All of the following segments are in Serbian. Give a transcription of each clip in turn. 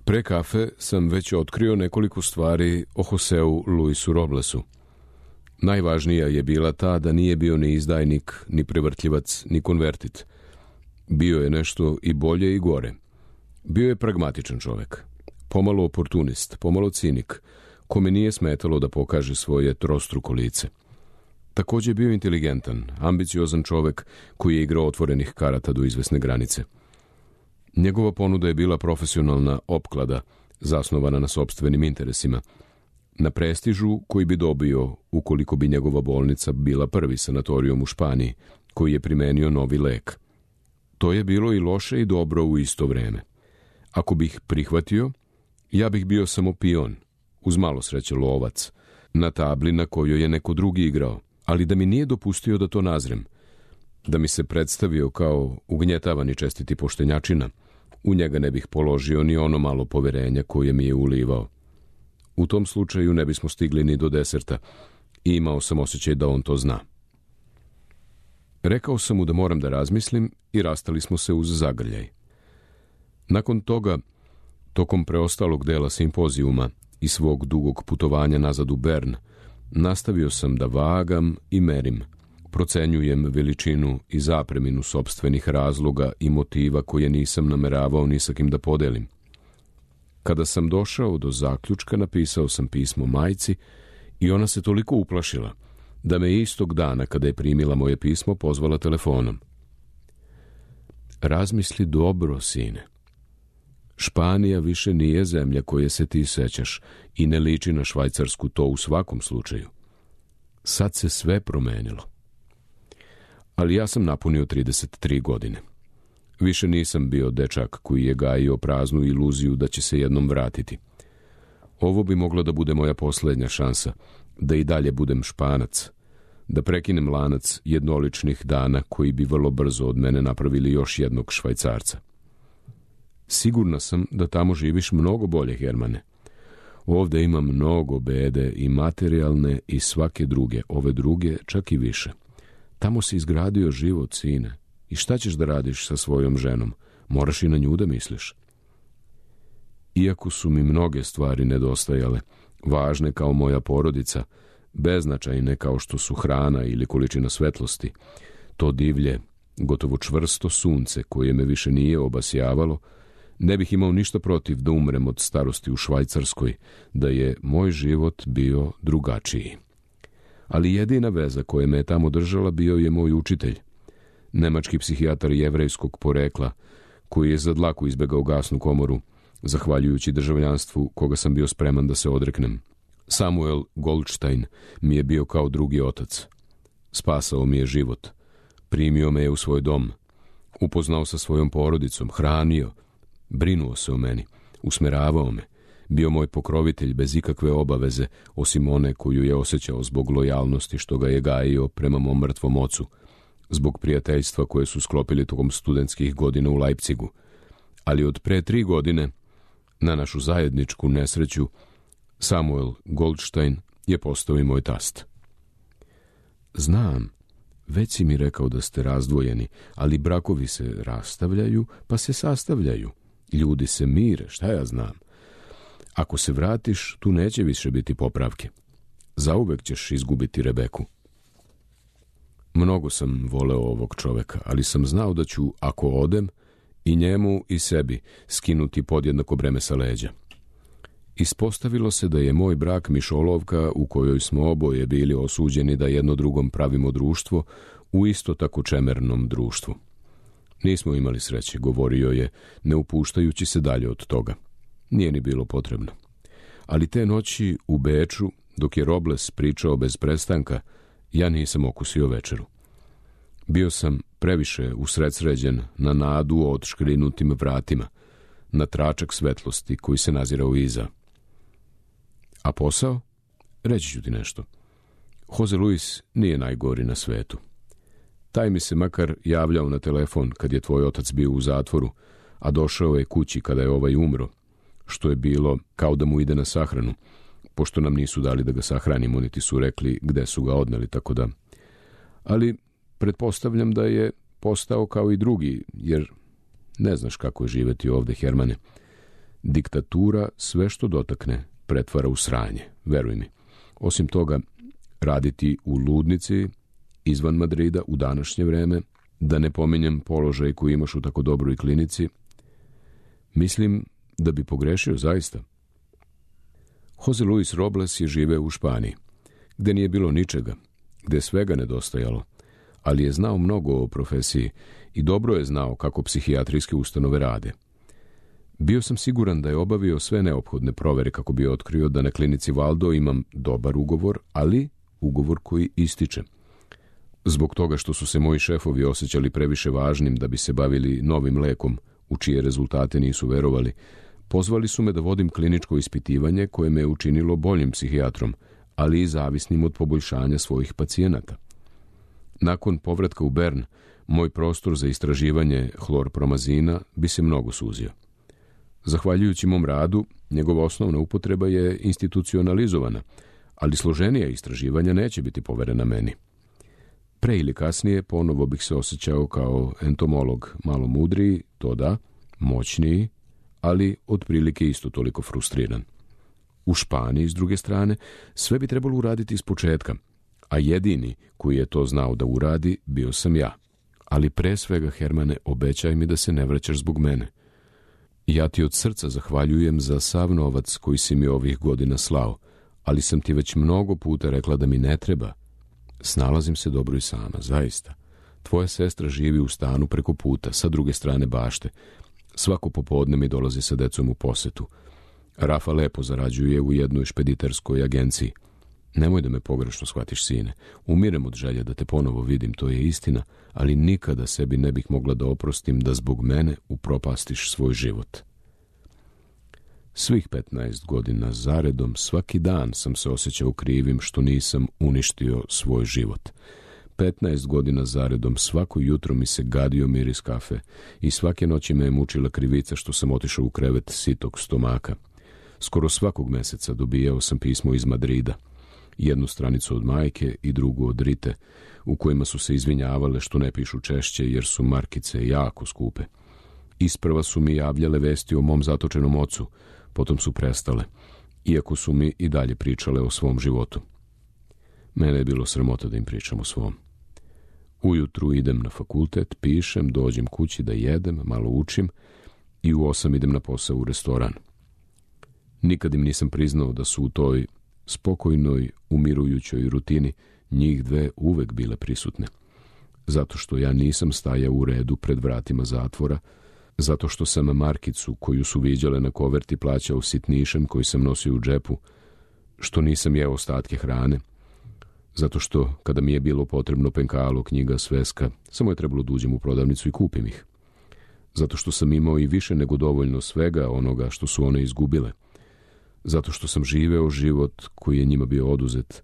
Pre kafe sam već otkrio nekoliko stvari o Joseu Luisu Roblesu. Najvažnija je bila ta da nije bio ni izdajnik, ni prevrtljivac, ni konvertit. Bio je nešto i bolje i gore. Bio je pragmatičan čovek, pomalo oportunist, pomalo cinik, kome nije smetalo da pokaže svoje trostruko lice. Takođe je bio inteligentan, ambiciozan čovek koji je igrao otvorenih karata do izvesne granice. Njegova ponuda je bila profesionalna opklada, zasnovana na sopstvenim interesima, na prestižu koji bi dobio ukoliko bi njegova bolnica bila prvi sanatorijum u Španiji, koji je primenio novi lek. To je bilo i loše i dobro u isto vreme. Ako bih prihvatio, ja bih bio samo pion, uz malo sreće lovac, na tabli na kojoj je neko drugi igrao, ali da mi nije dopustio da to nazrem, da mi se predstavio kao ugnjetavani čestiti poštenjačina, u njega ne bih položio ni ono malo poverenja koje mi je ulivao. U tom slučaju ne bismo stigli ni do deserta i imao sam osjećaj da on to zna. Rekao sam mu da moram da razmislim i rastali smo se uz zagrljaj. Nakon toga, tokom preostalog dela simpozijuma i svog dugog putovanja nazad u Bern, nastavio sam da vagam i merim, procenjujem veličinu i zapreminu sopstvenih razloga i motiva koje nisam nameravao ni sa kim da podelim. Kada sam došao do zaključka, napisao sam pismo majci i ona se toliko uplašila da me istog dana kada je primila moje pismo pozvala telefonom. Razmisli dobro, sine. Španija više nije zemlja koje se ti sećaš i ne liči na Švajcarsku, to u svakom slučaju. Sad se sve promenilo. Ali ja sam napunio 33 godine. Više nisam bio dečak koji je gajio praznu iluziju da će se jednom vratiti. Ovo bi mogla da bude moja poslednja šansa, da i dalje budem Španac, da prekinem lanac jednoličnih dana koji bi vrlo brzo od mene napravili još jednog Švajcarca. Sigurna sam da tamo živiš mnogo bolje, Hermane. Ovde ima mnogo bede i materijalne i svake druge, ove druge čak i više. Tamo si izgradio život, sine. I šta ćeš da radiš sa svojom ženom? Moraš i na nju da misliš. Iako su mi mnoge stvari nedostajale, važne kao moja porodica, beznačajne kao što su hrana ili količina svetlosti, to divlje, gotovo čvrsto sunce koje me više nije obasjavalo, ne bih imao ništa protiv da umrem od starosti u Švajcarskoj, da je moj život bio drugačiji. Ali jedina veza koja me je tamo držala bio je moj učitelj, nemački psihijatar jevrejskog porekla, koji je za dlaku izbegao gasnu komoru, zahvaljujući državljanstvu koga sam bio spreman da se odreknem. Samuel Goldstein mi je bio kao drugi otac. Spasao mi je život. Primio me je u svoj dom. Upoznao sa svojom porodicom, hranio, brinuo se o meni, usmeravao me. Bio moj pokrovitelj bez ikakve obaveze, osim one koju je osjećao zbog lojalnosti što ga je gajio prema mom mrtvom ocu, zbog prijateljstva koje su sklopili tokom studentskih godina u Leipzigu. Ali od pre 3 godine, na našu zajedničku nesreću, Samuel Goldstein je postao i moj tast. Znam, već si mi rekao da ste razdvojeni, ali brakovi se rastavljaju, pa se sastavljaju. Ljudi se mire, šta ja znam. Ako se vratiš, tu neće više biti popravke. Zauvek ćeš izgubiti Rebeku. Mnogo sam voleo ovog čoveka, ali sam znao da ću, ako odem, i njemu i sebi skinuti podjednako breme sa leđa. Ispostavilo se da je moj brak mišolovka u kojoj smo oboje bili osuđeni da jedno drugom pravimo društvo u isto tako čemernom društvu. Nismo imali sreće, govorio je, ne upuštajući se dalje od toga. Nije ni bilo potrebno. Ali te noći u Beču, dok je Robles pričao bez prestanka, ja nisam okusio večeru. Bio sam previše usredsređen na nadu o odškrinutim vratima, na tračak svetlosti koji se nazirao iza. A posao? Reći ću ti nešto. Jose Luis nije najgori na svetu. Taj mi se makar javljao na telefon kad je tvoj otac bio u zatvoru, a došao je kući kada je ovaj umro, što je bilo kao da mu ide na sahranu, pošto nam nisu dali da ga sahranimo, niti su rekli gde su ga odneli, tako da. Ali pretpostavljam da je postao kao i drugi, jer ne znaš kako je živeti ovde, Hermane. Diktatura sve što dotakne pretvara u sranje, veruj mi. Osim toga, raditi u ludnici izvan Madrida u današnje vreme, da ne pominjem položaj koji imaš u tako dobroj klinici, mislim da bi pogrešio zaista. Jose Luis Robles je živeo u Španiji, gde nije bilo ničega, gde je svega nedostajalo, ali je znao mnogo o profesiji i dobro je znao kako psihijatrijske ustanove rade. Bio sam siguran da je obavio sve neophodne provere kako bi otkrio da na klinici Valdo imam dobar ugovor, ali ugovor koji ističe. Zbog toga što su se moji šefovi osjećali previše važnim da bi se bavili novim lekom, u čije rezultate nisu verovali, pozvali su me da vodim kliničko ispitivanje koje me je učinilo boljim psihijatrom, ali i zavisnim od poboljšanja svojih pacijenata. Nakon povratka u Bern, moj prostor za istraživanje hlorpromazina bi se mnogo suzio. Zahvaljujući mom radu, njegova osnovna upotreba je institucionalizovana, ali složenija istraživanja neće biti poverena meni. Pre ili kasnije ponovo bih se osjećao kao entomolog, malo mudriji, to da, moćniji, ali otprilike isto toliko frustriran. U Španiji, s druge strane, sve bi trebalo uraditi iz početka, a jedini koji je to znao da uradi bio sam ja. Ali pre svega, Hermane, obećaj mi da se ne vraćaš zbog mene. Ja ti od srca zahvaljujem za sav novac koji si mi ovih godina slao, ali sam ti već mnogo puta rekla da mi ne treba. Snalazim se dobro i sama, zaista. Tvoja sestra živi u stanu preko puta, sa druge strane bašte. Svako popodne mi dolazi sa decom u posetu. Rafa lepo zarađuje u jednoj špediterskoj agenciji. Nemoj da me pogrešno shvatiš, sine. Umirem od želje da te ponovo vidim, to je istina, ali nikada sebi ne bih mogla da oprostim da zbog mene upropastiš svoj život. Svih 15 godina zaredom, svaki dan sam se osjećao krivim što nisam uništio svoj život. 15 godina zaredom, svako jutro mi se gadio miris kafe i svake noći me je mučila krivica što sam otišao u krevet sitog stomaka. Skoro svakog meseca dobijao sam pismo iz Madrida. Jednu stranicu od majke i drugu od Rite, u kojima su se izvinjavale što ne pišu češće jer su markice jako skupe. Isprva su mi javljale vesti o mom zatočenom ocu, potom su prestale, iako su mi i dalje pričale o svom životu. Mene je bilo sramota da im pričam o svom. Ujutru idem na fakultet, pišem, dođem kući da jedem, malo učim i u 8 idem na posao u restoran. Nikad im nisam priznao da su u toj spokojnoj, umirujućoj rutini njih dve uvek bile prisutne. Zato što ja nisam stajao u redu pred vratima zatvora, zato što sam markicu koju su viđale na koverti plaćao sitnišem koji sam nosio u džepu, što nisam jeo ostatke hrane, zato što kada mi je bilo potrebno penkalo, knjiga, sveska, samo je trebalo da uđem u prodavnicu i kupim ih. Zato što sam imao i više nego dovoljno svega onoga što su one izgubile. Zato što sam živeo život koji je njima bio oduzet.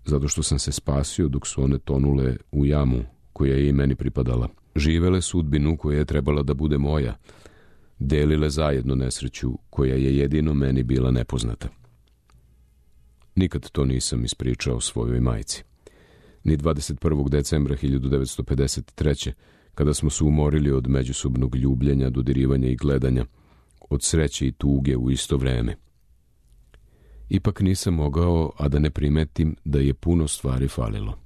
Zato što sam se spasio dok su one tonule u jamu koja je i meni pripadala. Živele sudbinu koja je trebala da bude moja. Delile zajedno nesreću koja je jedino meni bila nepoznata. Nikad to nisam ispričao svojoj majci. Ni 21. decembra 1953. kada smo se umorili od međusobnog ljubljenja, dodirivanja i gledanja, od sreće i tuge u isto vreme. Ipak nisam mogao, a da ne primetim da je puno stvari falilo.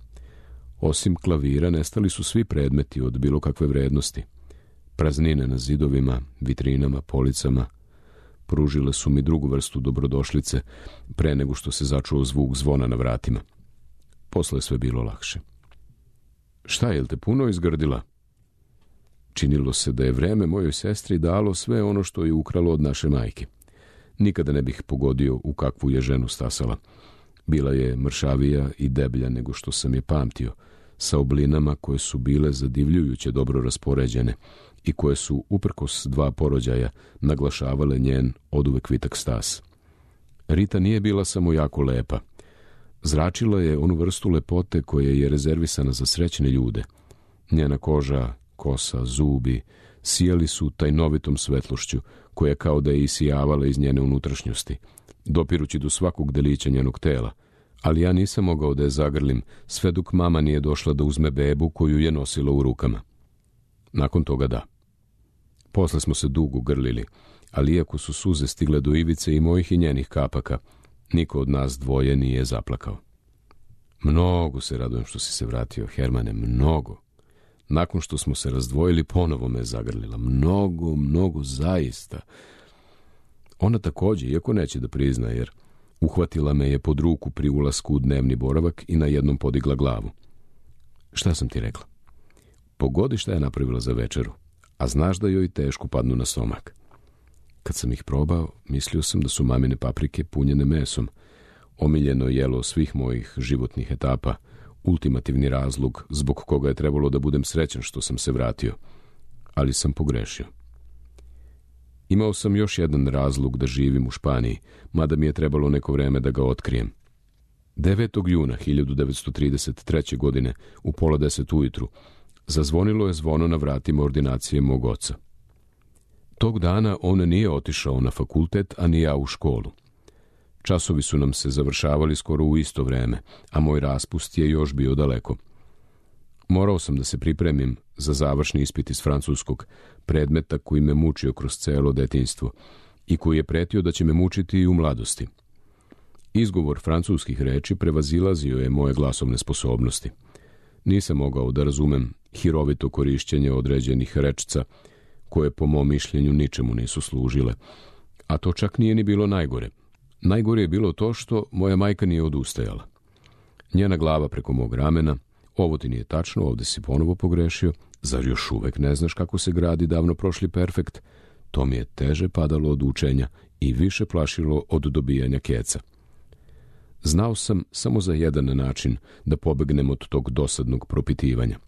Osim klavira, nestali su svi predmeti od bilo kakve vrednosti. Praznine na zidovima, vitrinama, policama. Pružile su mi drugu vrstu dobrodošlice pre nego što se začuo zvuk zvona na vratima. Posle je sve bilo lakše. Šta, jel te puno izgrdila? Činilo se da je vreme mojoj sestri dalo sve ono što je ukralo od naše majke. Nikada ne bih pogodio u kakvu je ženu stasala. Bila je mršavija i deblja nego što sam je pamtio, sa oblinama koje su bile zadivljujuće dobro raspoređene i koje su, uprkos 2 porođaja, naglašavale njen oduvek vitak stas. Rita nije bila samo jako lepa. Zračila je onu vrstu lepote koja je rezervisana za srećne ljude. Njena koža, kosa, zubi sijali su tajnovitom svetlošću koja kao da je isijavala iz njene unutrašnjosti, dopirući do svakog delića njenog tela, ali ja nisam mogao da je zagrlim sve dok mama nije došla da uzme bebu koju je nosila u rukama. Nakon toga da. Posle smo se dugo grlili, ali iako su suze stigle do ivice i mojih i njenih kapaka, niko od nas dvoje nije zaplakao. Mnogo se radujem što si se vratio, Hermane, mnogo. Nakon što smo se razdvojili, ponovo me zagrlila. Mnogo, zaista. Ona takođe, iako neće da prizna, jer uhvatila me je pod ruku pri ulasku u dnevni boravak i na jednom podigla glavu. Šta sam ti rekla? Pogodi šta je napravila za večeru, a znaš da joj teško padnu na stomak. Kad sam ih probao, mislio sam da su mamine paprike punjene mesom, omiljeno jelo svih mojih životnih etapa, ultimativni razlog zbog koga je trebalo da budem srećan što sam se vratio. Ali sam pogrešio. Imao sam još jedan razlog da živim u Španiji, mada mi je trebalo neko vreme da ga otkrijem. 9. juna 1933. godine, u 9:30 ujutru, zazvonilo je zvono na vratima ordinacije mog oca. Tog dana on nije otišao na fakultet, a ni ja u školu. Časovi su nam se završavali skoro u isto vreme, a moj raspust je još bio daleko. Morao sam da se pripremim za završni ispit iz francuskog, predmeta koji me mučio kroz celo detinjstvo i koji je pretio da će me mučiti i u mladosti. Izgovor francuskih reči prevazilazio je moje glasovne sposobnosti. Nisam mogao da razumem hirovito korišćenje određenih rečica, koje po mom mišljenju ničemu nisu služile. A to čak nije ni bilo najgore. Najgore je bilo to što moja majka nije odustajala. Njena glava preko mog ramena: ovo ti nije tačno, ovde si ponovo pogrešio, zar još uvek ne znaš kako se gradi davno prošli perfekt? To mi je teže padalo od učenja i više plašilo od dobijanja keca. Znao sam samo za jedan način da pobegnem od tog dosadnog propitivanja.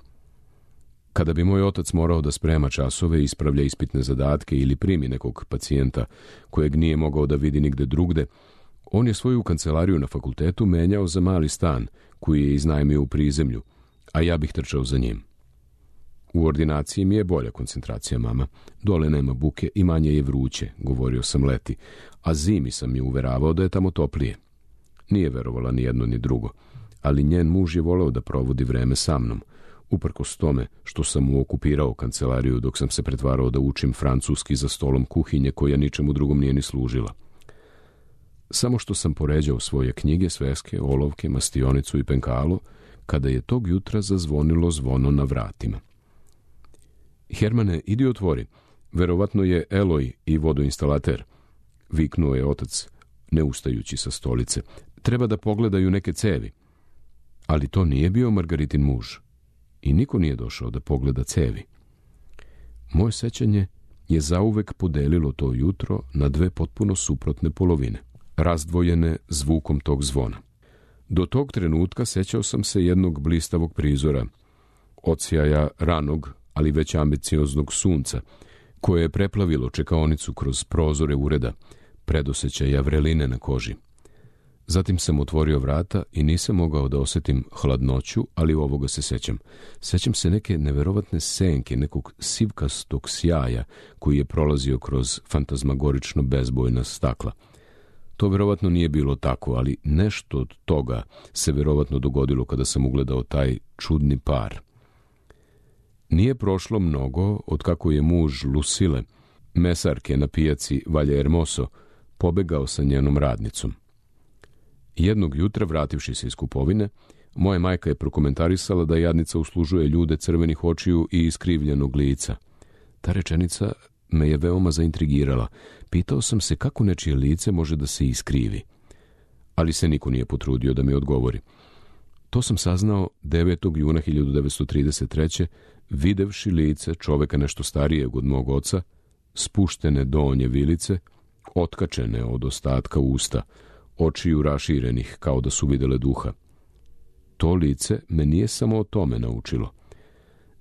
Kada bi moj otac morao da sprema časove, ispravlja ispitne zadatke ili primi nekog pacijenta kojeg nije mogao da vidi nigde drugde, on je svoju kancelariju na fakultetu menjao za mali stan koji je iznajmio u prizemlju, a ja bih trčao za njim. U ordinaciji mi je bolja koncentracija, mama. Dole nema buke i manje je vruće, govorio sam leti, a zimi sam je uveravao da je tamo toplije. Nije verovala ni jedno ni drugo, ali njen muž je voleo da provodi vreme sa mnom, uprkos tome što sam mu okupirao kancelariju dok sam se pretvarao da učim francuski za stolom kuhinje koja ničemu drugom nije ni služila. Samo što sam poređao svoje knjige, sveske, olovke, mastionicu i penkalo, kada je tog jutra zazvonilo zvono na vratima. Hermane, idi otvori, verovatno je Eloj i vodoinstalater, viknuo je otac, ne ustajući sa stolice. Treba da pogledaju neke cevi. Ali to nije bio Margaritin muž. I niko nije došao da pogleda cevi. Moje sećanje je zauvek podelilo to jutro na dve potpuno suprotne polovine, razdvojene zvukom tog zvona. Do tog trenutka sećao sam se jednog blistavog prizora, odsjaja ranog, ali već ambicioznog sunca, koje je preplavilo čekaonicu kroz prozore ureda, predosećaja vreline na koži. Zatim sam otvorio vrata i nisam mogao da osetim hladnoću, ali ovoga se sećam. Sećam se neke neverovatne senke, nekog sivkastog sjaja koji je prolazio kroz fantazmagorično bezbojna stakla. To verovatno nije bilo tako, ali nešto od toga se verovatno dogodilo kada sam ugledao taj čudni par. Nije prošlo mnogo od kako je muž Lucile, mesarke na pijaci Valle Hermoso, pobegao sa njenom radnicom. Jednog jutra, vrativši se iz kupovine, moja majka je prokomentarisala da jadnica uslužuje ljude crvenih očiju i iskrivljenog lica. Ta rečenica me je veoma zaintrigirala. Pitao sam se kako nečije lice može da se iskrivi. Ali se niko nije potrudio da mi odgovori. To sam saznao 9. juna 1933. videvši lice čoveka nešto starijeg od mog oca, spuštene donje vilice, otkačene od ostatka usta, očiju raširenih kao da su videle duha. To lice me nije samo o tome naučilo.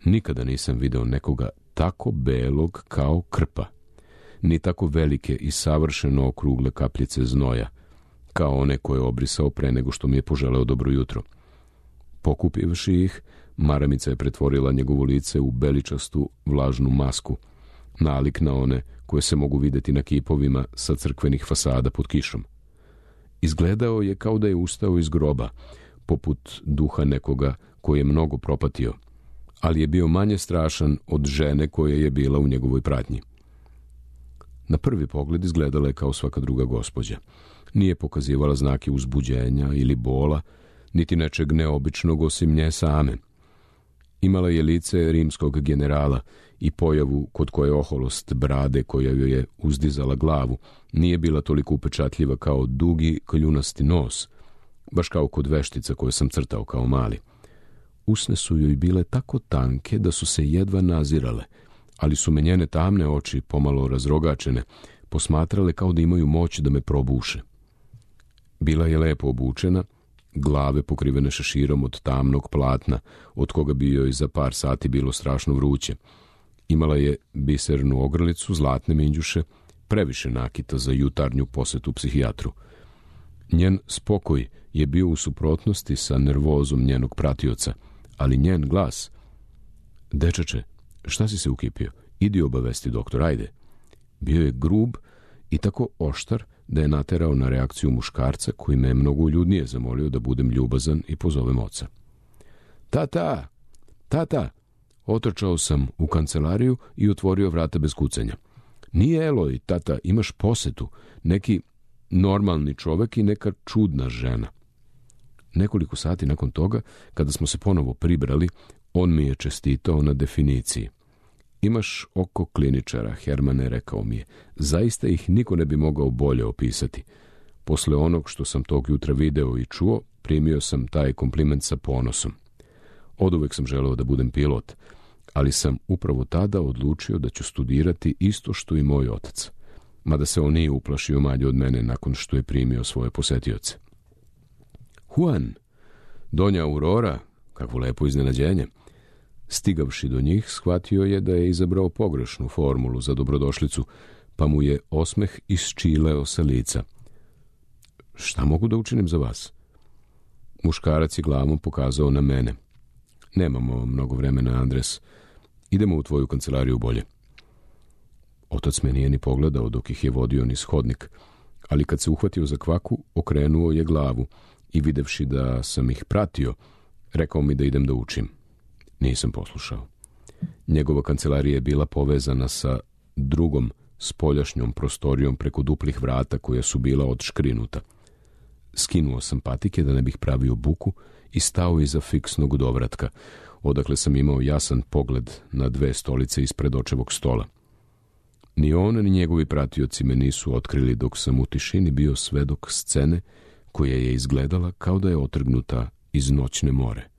Nikada nisam video nekoga tako belog kao krpa, ni tako velike i savršeno okrugle kapljice znoja, kao one koje je obrisao pre nego što mi je poželeo dobro jutro. Pokupivši ih, maramica je pretvorila njegovo lice u beličastu vlažnu masku, nalik na one koje se mogu videti na kipovima sa crkvenih fasada pod kišom. Izgledao je kao da je ustao iz groba, poput duha nekoga koji je mnogo propatio, ali je bio manje strašan od žene koja je bila u njegovoj pratnji. Na prvi pogled izgledala je kao svaka druga gospođa. Nije pokazivala znake uzbuđenja ili bola, niti nečeg neobičnog osim nje same. Imala je lice rimskog generala i pojavu kod koje oholost brade koja joj je uzdizala glavu nije bila toliko upečatljiva kao dugi kljunasti nos, baš kao kod veštica koje sam crtao kao mali. Usne su joj bile tako tanke da su se jedva nazirale, ali su me njene tamne oči, pomalo razrogačene, posmatrale kao da imaju moć da me probuše. Bila je lepo obučena, glave pokrivene šeširom od tamnog platna, od koga bi joj za par sati bilo strašno vruće. Imala je bisernu ogrlicu, zlatne minđuše, previše nakita za jutarnju posetu psihijatru. Njen spokoj je bio u suprotnosti sa nervozom njenog pratioca, ali njen glas: "Dečače, šta si se ukipio? Idi obavesti doktor, ajde." Bio je grub i tako oštar da je naterao na reakciju muškarca koji me je mnogo uljudnije zamolio da budem ljubazan i pozovem oca. Tata! Tata! Otrčao sam u kancelariju i otvorio vrata bez kucanja. Nije Eloj, tata, imaš posetu, neki normalni čovek i neka čudna žena. Nekoliko sati nakon toga, kada smo se ponovo pribrali, on mi je čestitao na definiciji. Imaš oko kliničara, Hermane, rekao mi je. Zaista ih niko ne bi mogao bolje opisati. Posle onog što sam tog jutra video i čuo, primio sam taj kompliment sa ponosom. Oduvek sam želeo da budem pilot, ali sam upravo tada odlučio da ću studirati isto što i moj otac, mada se on nije uplašio manje od mene nakon što je primio svoje posetioce. Juan, Donja Aurora, kakvo lepo iznenađenje. Stigavši do njih, shvatio je da je izabrao pogrešnu formulu za dobrodošlicu, pa mu je osmeh isčileo sa lica. Šta mogu da učinim za vas? Muškarac je glavom pokazao na mene. Nemamo mnogo vremena, Andres. Idemo u tvoju kancelariju bolje. Otac me nije ni pogledao dok ih je vodio niz hodnik, ali kad se uhvatio za kvaku, okrenuo je glavu i videvši da sam ih pratio, rekao mi da idem da učim. Nisam poslušao. Njegova kancelarija je bila povezana sa drugom spoljašnjom prostorijom preko duplih vrata koja su bila odškrinuta. Skinuo sam patike da ne bih pravio buku i stao iza fiksnog dovratka, odakle sam imao jasan pogled na 2 stolice ispred očevog stola. Ni on ni njegovi pratioci me nisu otkrili dok sam u tišini bio svedok scene koja je izgledala kao da je otrgnuta iz Noćne more.